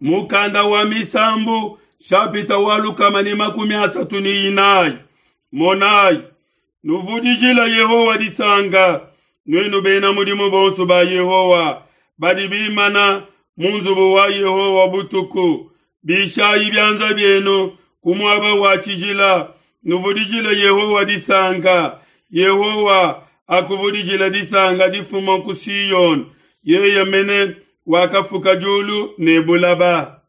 Mukanda wa Misambu shapita wa 134. Monayi, nuvudijila Yehowa disanka, nuenu bena mudimu bonso ba Yehowa badi bimana mu nzubu wa Yehowa butuku. Bishayi bianza bienu ku muaba wa tshijila, nuvudijile Yehowa disanka. Yehowa akuvudijile disanka difuma ku Siyone, yeye mene wakafuka diulu ne bulaba.